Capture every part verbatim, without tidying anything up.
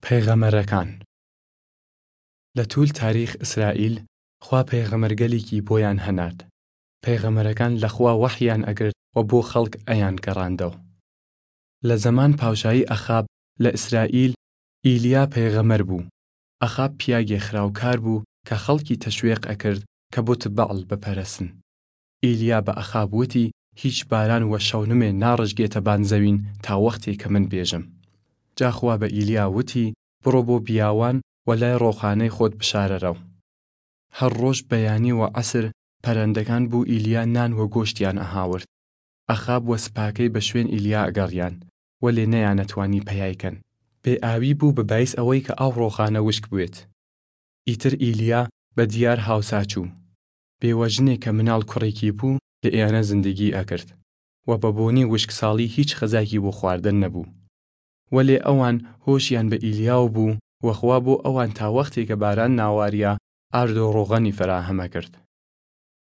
پەیغەمەرەکان. لە توول تاریخ ئسرائیل، خوا پەیغەمەرگەلیکی بۆیان هەنارد. پەیغەمەرەکان لە خوا وەحیان ئەگرد و بۆ خەڵک ئەیان گەڕاندەو. لە زەمان پاوشایی ئەخاب لە ئسرائیل، ئیلیا پەیغەمەر بۊ. ئەخاب پیاگێ خراوکار بۊ کە خەڵکی تەشوێق ئەکرد کە بت بەعڵ بپەرەسن. ئیلیا بە ئەخاب وتی، هیچ باران وە شەونمێ ناڕژگێتە بان زەوین تا وەختێ کە من بێژم. جا خوا بە ئیلیا وتی، بڕۆ بۆ بیاوان و لای ڕۆخانەی خۆت بشارەرەو. هەر ڕۆژ بەیانی و عەسر پەرەندەکان بو ئیلیا نان و گۆشتیان ئەهاورد. ئەخاب و سپاکەی بە شوێن ئیلیا ئەگەڕیان، وەلێ نەیانەتوانی پەیای کەن. بێ ئاوی بو بە بایس ئەوەی کە ئاو ڕۆخانە وشک بوێت. ئیتر ئیلیا بە دیار هاوسا چوو. بێوەژنێ کە مناڵ کوڕێکی بو لە ئێانە زندگی ئەکرد و بە بۆنی وشکساڵی هیچ خەزاکی بۆ خواردن نەبو. وەلێ ئەوان هۆشیان بە ئیلیاو بو و خوا بۆ ئەوان تا وەختێ کە باران ناواریا ئارد و ڕۆغەنی فەراهەم ئەکرد.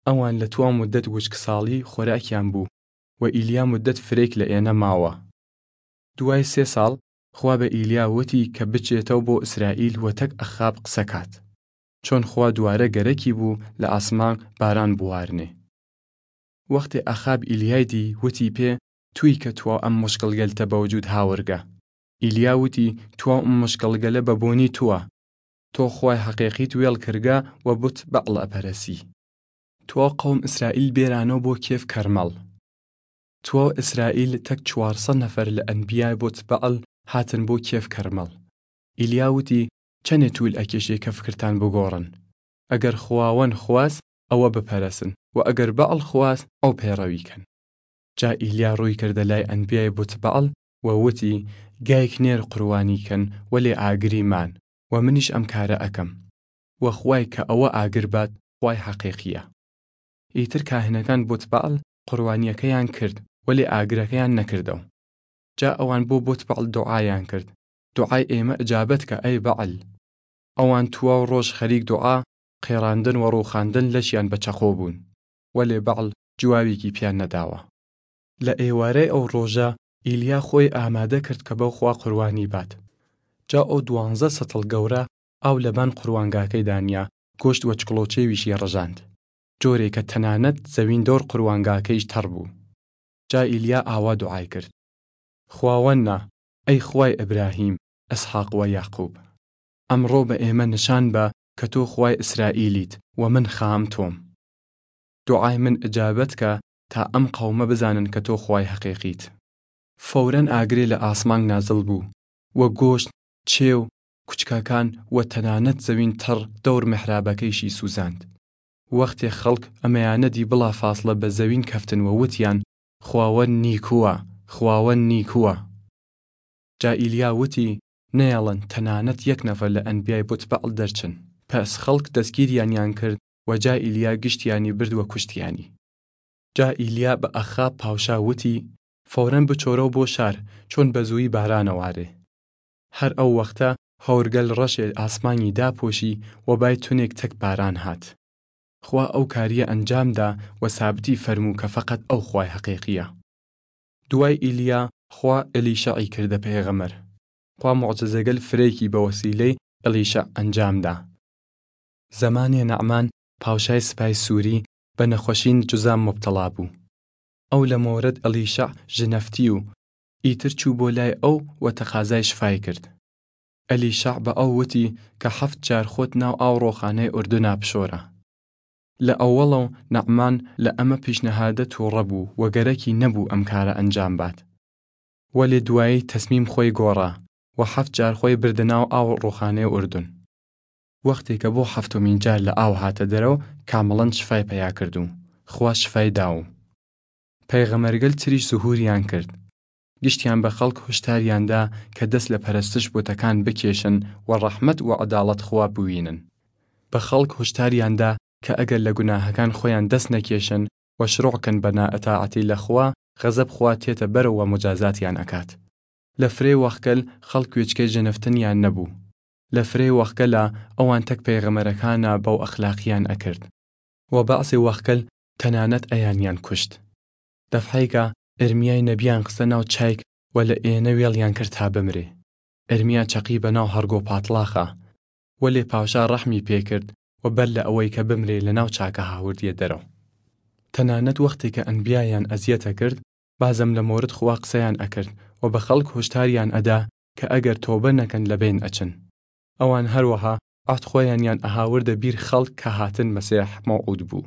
ئەوان لە تواو مودەت وشکساڵی خۆراکیان بو و ئیلیا مودەت فرەیک لە ئێنە ماوە. دوای سێ ساڵ خوا بە ئیلیا وتی کە بچێتەو بۆ ئسرائیل و تەک ئەخاب قسە کات. چۆن خوا دووارە گەرەکی بو لە ئاسمان باران بوارنێ. وەختێ ئەخاب ئیلیای دی، وتی پێ، توی کە تواو ئەم مشکڵگەلتە بەوجود هاورگە؟ ئیلیا وتی، تواو ئەم مشکڵگەلە بە بۆنی توە. تۆ خوای حەقێقیت وێڵ کردگە و بت بەعڵ ئەپەرەسی. تواو قەوم ئسرائیل بێرانەو بۆ کێف کەرمەڵ. تواو ئسرائیل تەک چوارسەد نەفەر لە ئەنبیای بت بەعڵ هاتن بۆ کێف کەرمەڵ. ئیلیا وتی، چەنێ توول ئەکێشێ کە فکرتان بگۆڕن؟ ئەگەر خواوەن خواست، ئەوە بپەرەسن و ئەگەر بەعڵ خواست، ئەو پەیڕەوی کەن. جا ئیلیا ڕوی کردە لای ئەنبیای بت بەعڵ و وتی، گایک نێر قوربانی کەن، وەلێ ئاگری مان، و منیش ئەم کارە ئەکەم. و خوای کە ئەوە ئاگر بات، خوای حەقێقیە. ئیتر کاهنەکان بت بەعڵ قوربانیەکەیان کرد، وەلێ ئاگرەکەیان نەکردەو. جا ئەوان بۆ بت بەعڵ دوعایان کرد، دوعای ئێمە ئجابەت کە ئەی بەعڵ. ئەوان تواو ڕۆژ خەریک دوعا، قێڕاندن و ڕووخاندن لەشیان بە چەقۆ بوون، وەلێ بەعڵ جواویکی پیان نەداوە. لە ئێوارەی ئەو ڕۆژە ئیلیا خۆی ئامادە کرد کە بەو خوا قوربانی بات. جا ئەو دوانزە سەتڵ گەورە ئاو لەبان قوربانگاکەی دانیا، گۆشت و چکڵۆچێویشی ڕژاند، جۆرێ کە تەنانەت زەوین دەور قوربانگاکەیش تەڕ بوو. جا ئیلیا ئاوا دوعای کرد، خواوەننا، ئەی خوای ئبراهیم، ئسحاق و یاقوب، ئەمڕۆ بە ئێمە نشان بە کە تۆ خوای ئسرائیلیت و من خام تۆم. دوعای من ئجابەت کە تا ئەم قەومە بزانن کە تۆ خوای حەقێقیت. فەورەن ئاگرێ لە ئاسمانگ نازڵ بوو و گۆشت، چێو، کوچکەکان و تەنانەت زەوین تەڕ دەور مەحرابەکەیشی سوزاند. وەختێ خەڵک ئەمەیانە دی بڵافاصلە بە زەوین کەفتن و وتیان، خواوەن نیکووە، خواوەن نیکووە. جا ئیلیا وتی، نەیەڵن تەنانەت یەک نەفەر لە ئەنبیای بت بەعڵ دەرچن. پەس خەڵک دەسگیریانیان کرد و جا ئیلیا گشتیانی برد و کوشتیانی. جا ئیلیا بە ئەخاب پاوشا وتی، فەورەن بچۆرەو بۆ شار، چۆن بە زووی بارانە وارێ. هەر ئەو وەختە هەورگەل ڕەشێ ئاسمانی داپۆشی و بای تونێک تەک باران هات. خوا ئەو کاریە ئەنجام دا و سابتی فەرموو کە فەقەت ئەو خوای حەقێقیە. دوای ئیلیا خوا ئەلیشەعی کردە پەێغەمەر. خوا موعجزەگەل فرەیکی بە وەسیلەی ئەلیشەع ئەنجام دا. زەمانێ نەعمان پاوشای سپای سووری بە نەخوەشین جزام موبتەڵا بوو. ئەو لە مۆرەد ئەلیشەع ژنەفتی و ئیتر چوو بۆ لای ئەو و تەقازای شفای کرد. ئەلیشەع بە ئەو وتی کە حەفت جار خۆت ناو ئاو ڕۆخانەی ئوردونا بشۆرە. لە ئەوەڵەو نەعمان لە ئەمە پیشنەهادە تووڕە بوو و گەرەکی نەبوو ئەم کارە ئەنجام بات. وەلێ دوایی تەسمیم خوەی گۆڕا و حەفت جار خوەی بردە ناو ئاو ڕۆخانەی ئوردون. وەختێ کە بۆ حەفتۆمین جار لە ئاو هاتە دەرەو، کامڵەن شفای پەیا کرد و خوا شفای دا و پەیغەمەرگەل تریش زوهوریان کرد. گشتیان بە خەڵک هوشتاریان دا کە دەس لە پەرەستش بتەکان بکێشن و ڕەحمەت و عەداڵەت خوا بوینن. بە خەڵک هوشتاریان دا کە ئەگەر لە گوناهەکان خوەیان دەس نەکێشن و شروع کەن بە نائەتاعەتی لە خوا، غەزەب خوا تێتە بەرەو و موجازاتیان ئەکات. لە فرەی وەخگەل خەڵک وێچکەی ژنەفتنیان نەبوو. لە فرەی وەخگەلا ئەوان تەک پەیغەمەرەکانا بەو ئەخلاقیان ئەکرد. و بەعزێ وەخگەل تەنانەت ئەیانیان کوشت. دەفعەیگە ئرمیای نەبیان خستە ناو چایگ و لە ئێنە وێڵیان کرد تا بمرێ. ئرمیا چەقی بەناو هەڕگۆ پاتڵاخا، وەلێ پاشا ڕەحمی پێ کرد و بەر لە ئەوەیکە بمرێ لەناو چاکە هاوردیە دەرەو. تەنانەت وەختێکە ئەنبیایان ئەزیەتە کرد، بازم لە مۆرد خوا قسەیان ئەکرد و بە خەڵک هوشتاریان ئەدا کە ئەگەر تۆبە نەکەن لەبەین ئەچن. ئەوان هەروەها عەهد خوەیانیان ئەهاوردە بیر خەڵک کە هاتن مەسیح مەوعود بوو.